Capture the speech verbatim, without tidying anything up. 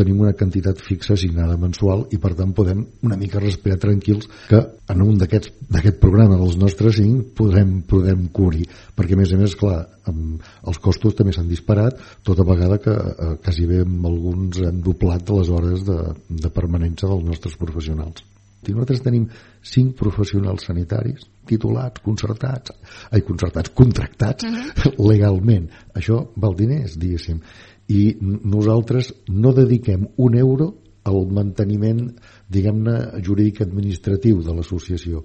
tenim una quantitat fixa assignada mensual i per tant podem una mica respirar tranquils que en un d'aquests d'aquest programa dels nostres cinc podrem, podrem cobrir, perquè a més a més clar, els costos també s'han disparat tota vegada que eh, quasi bé amb alguns hem doblat les hores de, de permanència dels nostres professionals. I nosaltres tenim cinc professionals sanitaris titulats, concertats, ai, concertats, contractats uh-huh. legalment. Això val diners, diguéssim. I nosaltres no dediquem un euro al manteniment, diguem-ne, jurídic administratiu de l'associació.